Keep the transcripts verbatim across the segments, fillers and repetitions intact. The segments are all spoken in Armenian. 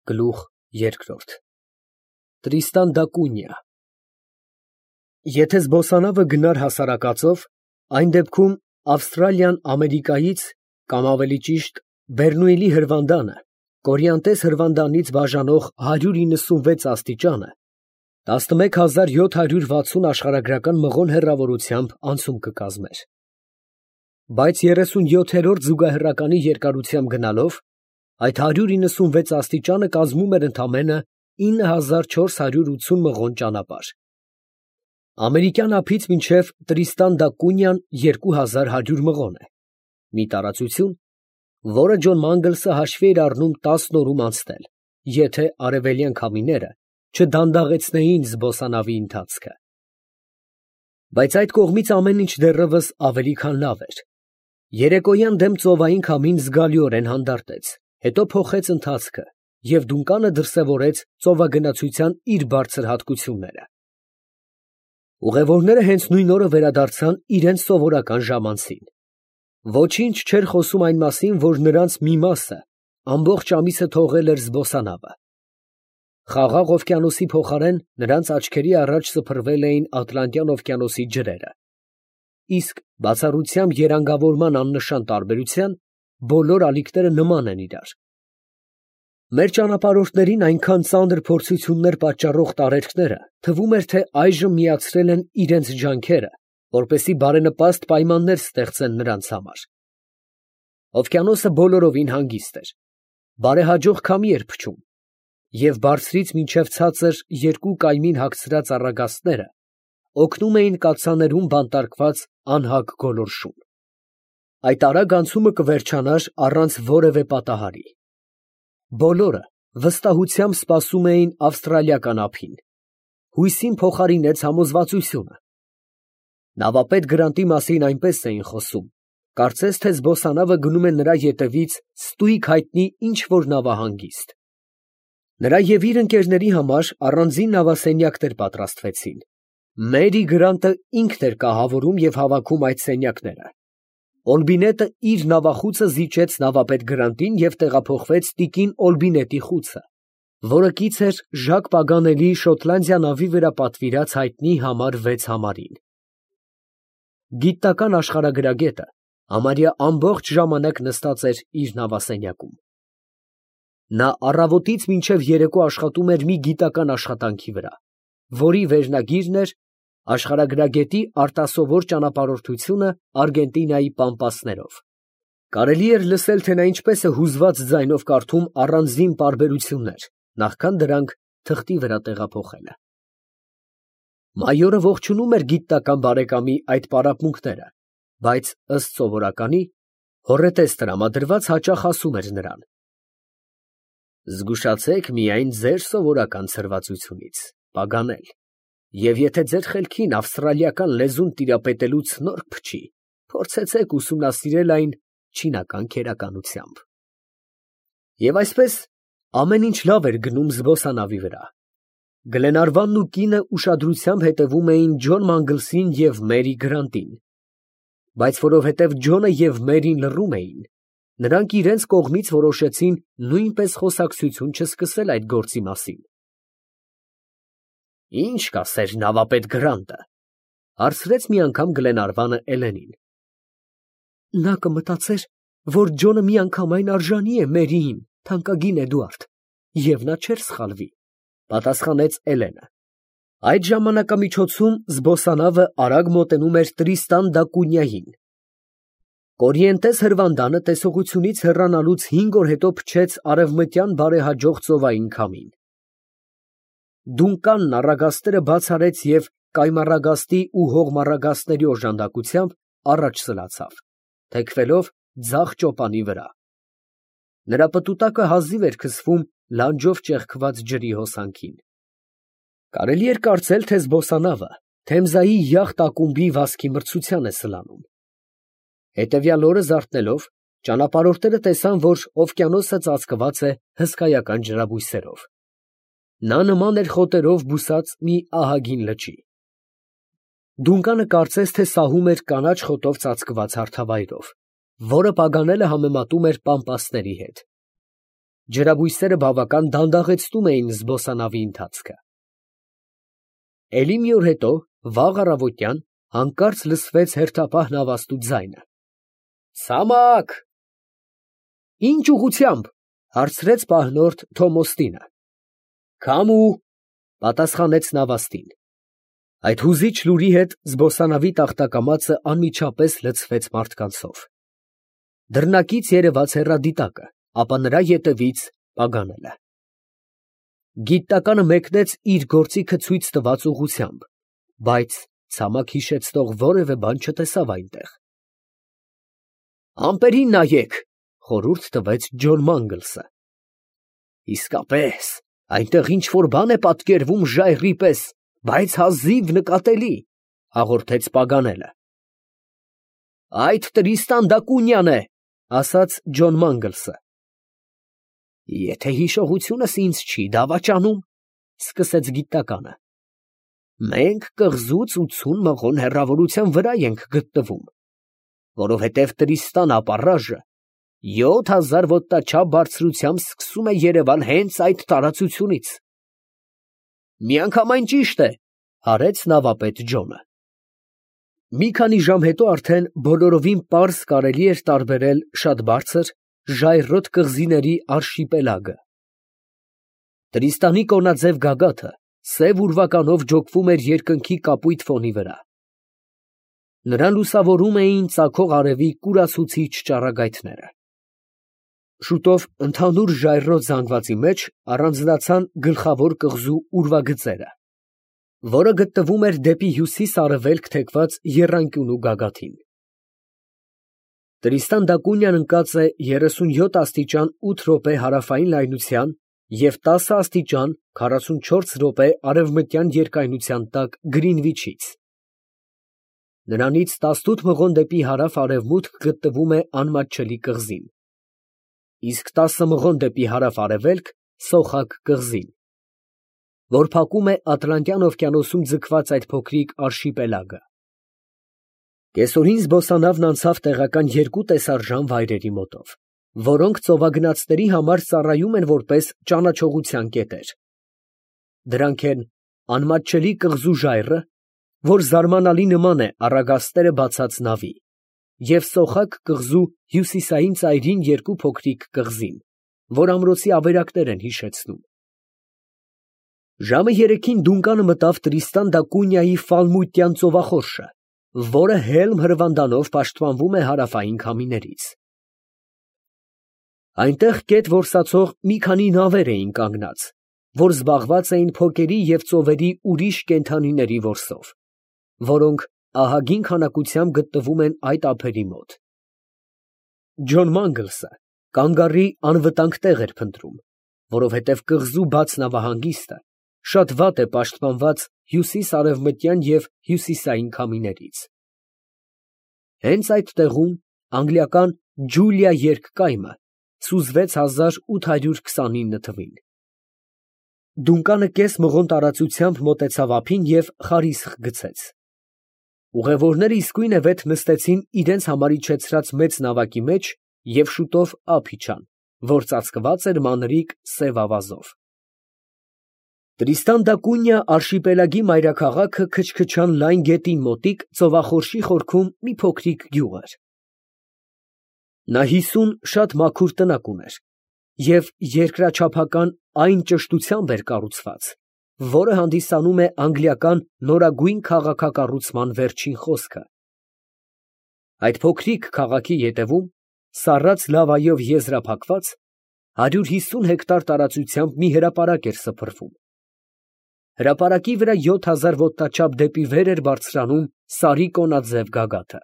Գլուխ երկրորդ Տրիստան դա Կունիա Եթե զբոսանավը գնար հասարակածով, այն դեպքում Ավստրալիան Ամերիկայից, կամ ավելի ճիշտ, Բեռնուիլի հրվանդանը, կորիանտես հրվանդանից բաժանող հարյուր իննսունվեց աստիճանը, տասնմեկ հազար յոթ հարյուր վաթսուն աշխարհագրական մղոն հեռավորությամբ անցում կկազմեր, բայց երեսունյոթերորդ զուգահեռականի երկարությամբ գնալով, այդ հարյուր իննսունվեց աստիճանը կազմում էր ընդամենը ինը հազար չորս հարյուր ութսուն մղոն ճանապարհ։ Ամերիկյան ափից մինչև Տրիստան դա Կունիան երկու հազար հարյուր մղոն է, մի տարածություն, որը Ջոն Մանգլսը հաշվի էր առնում տասն օրում անցնել, եթե արևելյան քամիները չդանդաղեցնեին զբոսանավի ընթացքը։ Բայց այդ կողմից ամեն ինչ դեռևս ավելի քան լավ էր։ Երեկոյան դեմ ծովային քամին զգալիորեն հանդարտեց, հետո փոխեց ընթացքը և Դունկանը դրսևորեց ծովագնացության իր բարձր հատկությունները։ Ուղևորները հենց նույն օրը վերադարձան իրենց սովորական ժամանցին։ Ոչինչ չէր խոսում այն մասին, որ նրանց մի մասը ամբողջ ամիսը թողել էր զբոսանավը։ Խաղաղ օվկիանոսի փոխարեն նրանց աչքերի առաջ սփռվել էին Ատլանտյան օվկիանոսի ջրերը, իսկ բացառությամբ երանգավորման աննշան տարբերության, բոլոր ալիքները նման են իրար։ Մեր ճանապարհորդներին այնքան ծանր փորձություններ պատճառող տարերքները թվում էր, թե այժմ միացրել են իրենց ջանքերը, որպեսզի բարենպաստ պայմաններ ստեղծեն նրանց համար։ Օվկիանոսը բոլորովին հանգիստ էր, բարեհաջող քամի էր փչում, և բարձրից մինչև ցածր երկու կայմին հագցրած առագաստները օգնում էին կաթսաներում բանտարկված անհագ գոլորշուն։ Այդ արագ անցումը կվերջանար առանց որևէ պատահարի։ Բոլորը վստահությամբ սպասում էին ավստրալիական ափին։ Հույսին փոխարինեց համոզվածությունը։ Նավապետ Գրանտի մասին այնպես էին խոսում, կարծես թե զբոսանավը գնում է նրա ետևից ստույգ հայտնի ինչ֊որ նավահանգիստ։ Նրա և իր ընկերների համար առանձին նավասենյակներ պատրաստվեցին։ Մերի Գրանտը ինքն էր կահավորում և հավաքում այդ սենյակները։ Օլբինետը իր նավախուցը զիջեց նավապետ Գրանտին և տեղափոխվեց տիկին Օլբինետի խուցը, որը կից էր Ժակ Պագանելի Շոտլանդիա նավի վրա պատվիրած հայտնի համար վեց համարին։ Գիտական աշխարհագրագետը համարյա ամբողջ ժամանակ նստած էր իր նավասենյակում։ Նա առավոտից մինչև երեկո աշխատում էր մի գիտական աշխատանքի վրա, որի վերնագիրն էր «Աշխարհագրագետի արտասովոր ճանապարհորդությունը Արգենտինայի պամպասներով»։ Կարելի էր լսել, թե նա ինչպես է հուզված ձայնով կարդում առանձին պարբերություններ, նախքան դրանք թղթի վրա տեղափոխելը։ Մայորը ողջունում էր գիտնական բարեկամի այդ պարապմունքները, բայց ըստ սովորականի, հոռետես տրամադրված հաճախ ասում էր նրան. «Զգուշացեք միայն ձեր սովորական ցրվածությունից, Պագանել, և եթե ձեր խելքին ավստրալիական լեզուն տիրապետելու ցնորք փչի, փորձեցեք ուսումնասիրել այն չինական քերականությամբ»։ Եվ այսպես ամեն ինչ լավ էր գնում զբոսանավի վրա։ Գլենարվանն ու կինը ուշադրությամբ հետևում էին Ջոն Մանգլսին և Մերի Գրանտին, բայց որովհետև Ջոնը և Մերին լռում էին, նրանք իրենց կողմից որոշեցին նույնպես խոսակցություն չսկսել այդ գործի մասին։ «Ի՞նչ կասեր նավապետ Գրանտը», ֊ հարցրեց մի անգամ Գլենարվանը Էլենին։ «Նա կմտածեր, որ Ջոնը միանգամայն արժանի է Մերիին, թանկագին Էդուարդ, և նա չէր սխալվի», ֊ պատասխանեց Էլենը։ Այդ ժամանակամիջոցում զբոսանավը արագ մոտենում էր Տրիստան դա Կունիային։ Կորիենտես հրվանդանը տեսողությունից հեռանալուց հինգ օր հետո փչեց արևմտյան բարեհաջող ծովային քամին։ Դունկանն առագաստերը բաց արեց և կայմառագաստի ու հողմառագաստների օժանդակությամբ առաջ սլացավ, թեքվելով ձախ ճոպանի վրա։ Նրա պտուտակը հազիվ էր քսվում լանջով ճեղքված ջրի հոսանքին։ Կարելի էր կարծել, թե զբոսանավը Թեմզայի յախտ ակումբի վազքի մրցության է սլանում։ Հետևյալ օրը զարթնելով, ճանապարհորդները տեսան, որ օվկիանոսը ծածկված է հսկայական ջրաբույսերով։ Նա նման էր խոտերով բուսած մի ահագին լճի։ Դունկանը կարծես թե սահում էր կանաչ խոտով ծածկված հարթավայրով, որը Պագանելը համեմատում էր պամպասների հետ։ Ջրաբույսերը բավական դանդաղեցնում էին զբոսանավի ընթացքը։ Էլի մի օր հետո, վաղ առավոտյան, հանկարծ լսվեց հերթապահ նավաստու ձայնը. «Ցամաք»։ «Ինչ ուղղությամբ» հարցրեց պահնորդ Թոմոստինը։ «Քամու», պատասխանեց նավաստին։ Այդ հուզիչ լուրի հետ զբոսանավի տախտակամածը անմիջապես լցվեց մարդկանցով։ Դռնակից երևաց հեռադիտակը, ապա նրա ետևից Պագանելը։ Գիտականը մեկնեց իր գործիքը ցույց տված ուղղությամբ, բայց ցամաք հիշեցնող որևէ բան չտեսավ այնտեղ։ «Ամպերին նայեք», խորհուրդ տվեց Ջոն Մանգլսը։ «Իսկապես, այնտեղ ինչ֊որ բան է պատկերվում ժայռի պես, բայց հազիվ նկատելի», հաղորդեց Պագանելը։ «Այդ Տրիստան դա Կունյան է», ասաց Ջոն Մանգլսը։ «Եթե հիշողությունս ինձ չի դավաճանում, ֊ սկսեց գիտականը, ֊ մենք կղզուց ութսուն մղոն հեռավորության վրա ենք գտնվում, որովհետև Տրիստան ապառաժը յոթ հազար ոտնաչափ բարձրությամբ սկսում է երևալ հենց այդ տարածությունից»։ «Միանգամայն ճիշտ է», ֊ հարեց նավապետ Ջոնը։ Մի քանի ժամ հետո արդեն բոլորովին պարզ կարելի էր տարբերել շատ բարձր, ժայռոտ կղզիների արշիպելագը։ Տրիստանի կոնաձև գագաթը սև ուրվականով ջոկվում էր երկնքի կապույտ ֆոնի վրա։ Նրան լուսավորում էին ծագող արևի կուրացուցիչ ճառագայթները։ Շուտով ընդհանուր ժայռոտ զանգվածի մեջ առանձնացան գլխավոր կղզու ուրվագծերը, որը գտնվում էր դեպի հյուսիս֊արևելք թեքված եռանկյունու գագաթին։ Տրիստան դա Կունյան ընկած է երեսունյոթ աստիճան ութ րոպե հարավային լայնության և տասը աստիճան քառասունչորս րոպե արևմտյան երկայնության տակ Գրինվիչից։ Նրանից տասնութ մղոն դեպի հարավ֊արևմուտք գտնվում է անմատչելի կղզին, իսկ տասը մղոն դեպի հարավ֊արևելք Սոխակ կղզին, որ փակում է Ատլանտյան օվկիանոսում ձգված այդ փոքրիկ արշիպելագը։ Կեսօրին զբոսանավն անցավ տեղական երկու տեսարժան վայրերի մոտով, որոնք ծովագնացների համար ծառայում են որպես ճանաչողության կետեր։ Դրանք են անմատչելի կղզու ժայռը, որ զարմանալի նման է առագաստերը բացած նավի, և Սոխակ կղզու հյուսիսային ծայրին երկու փոքրիկ կղզին, որ ամրոցի ավերակներ են հիշեցնում։ Ժամը երեքին Դունկանը մտավ Տրիստան դա Կունյայի ֆալմուտյան ծովախորշը, որը հելմ հրվանդանով պաշտպանվում է հարավային քամիներից։ Այնտեղ կետ որսացող մի քանի նավեր էին կանգնած, որ զբաղված էին փոկերի և ծովերի ուրիշ կենդանիների որսով, որոնք ահագին քանակությամբ գտնվում են այդ ափերի մոտ։ Ջոն Մանգլսը կանգառի անվտանգ տեղ էր փնտրում, որովհետև կղզու բաց նավահանգիստը շատ վատ է պաշտպանված հյուսիս֊արևմտյան և հյուսիսային քամիներից։ Հենց այդ տեղում անգլիական Ջուլիա երկկայմը սուզվեց հազար ութ հարյուր քսանինը թվին։ Դունկանը կես մղոն տարածությամբ մոտեցավ ափին և խարիսխ գցեց։ Ուղևորները իսկույն է վեթ նստեցին իրենց համար իջեցրած մեծ նավակի մեջ և շուտով ափ իջան, որ ծածկված էր մանրիկ սև ավազով։ Տրիստան դա Կունյա արշիպելագի մայրաքաղաքը քչքչան լայն գետին մոտիկ ծովախորշի խորքում մի փոքրիկ գյուղ էր։ Նա հիսուն շատ մաքուր տնակ ուներ և երկրաչափական այն ճշտությամբ էր կառուցված, որը հանդիսանում է անգլիական նորագույն քաղաքակառուցման վերջին խոսքը։ Այդ փոքրիկ քաղաքի ետևում, սառած լավայով եզրափակված, հարյուր հիսուն հեկտար տարածությամբ մի հրապարակ էր սփռվում։ Հրապարակի վրա յոթ հազար ոտնաչափ դեպի վեր էր բարձրանում սարի կոնաձև գագաթը։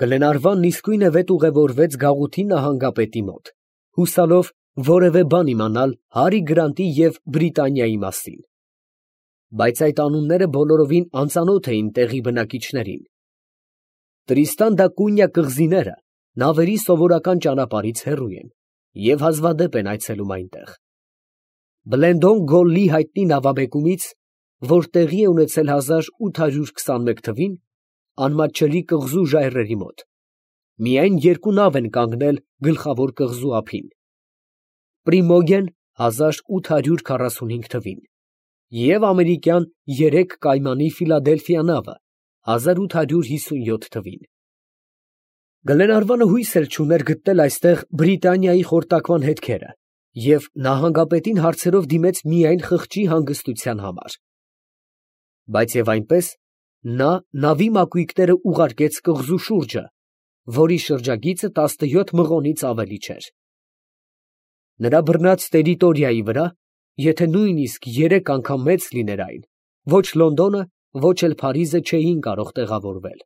Գլենարվանն իսկույն է վետ ուղևորվեց գաղութի նահանգապետի մոտ, հուսալով որևէ բան իմանալ Հարի Գրանտի և Բրիտանիայի մասին։ Բայց այդ անունները բոլորովին անծանոթ էին տեղի բնակիչներին։ Տրիստան դա Կունյա կղզիները նավերի սովորական ճանապարհից հեռու են և հազվադեպ են այցելում այնտեղ։ Բլենդոն Գոլլի հայտնի նավաբեկումից, որ տեղի է ունեցել հազար ութ հարյուր քսանմեկ թվին, անմատչելի կղզու ժայռերի մոտ, միայն երկու նավ են կանգնել գլխավոր կղզու ափին։ Պրիմոգեն հազար ութ հարյուր քառասունհինգ թվին և ամերիկյան երեք կայմանի Ֆիլադելֆիա նավը հազար ութ հարյուր հիսունյոթ թվին։ Գլենարվանը հույս էլ չուներ գտնել այստեղ Բրիտանիայի խորտակման հետքերը և նահանգապետին հարցերով դիմեց միայն խղճի հանգստության համար։ Բայց և այնպես, նա նավի մակույկները ուղարկեց կղզու շուրջը, որի շրջագիծը տասնյոթ մղոնից ավելի չէր։ Նրա բռնած տերիտորիայի վրա, եթե նույնիսկ երեք անգամ մեծ լիներ այն, ոչ Լոնդոնը, ոչ էլ Փարիզը չէին կարող տեղավորվել։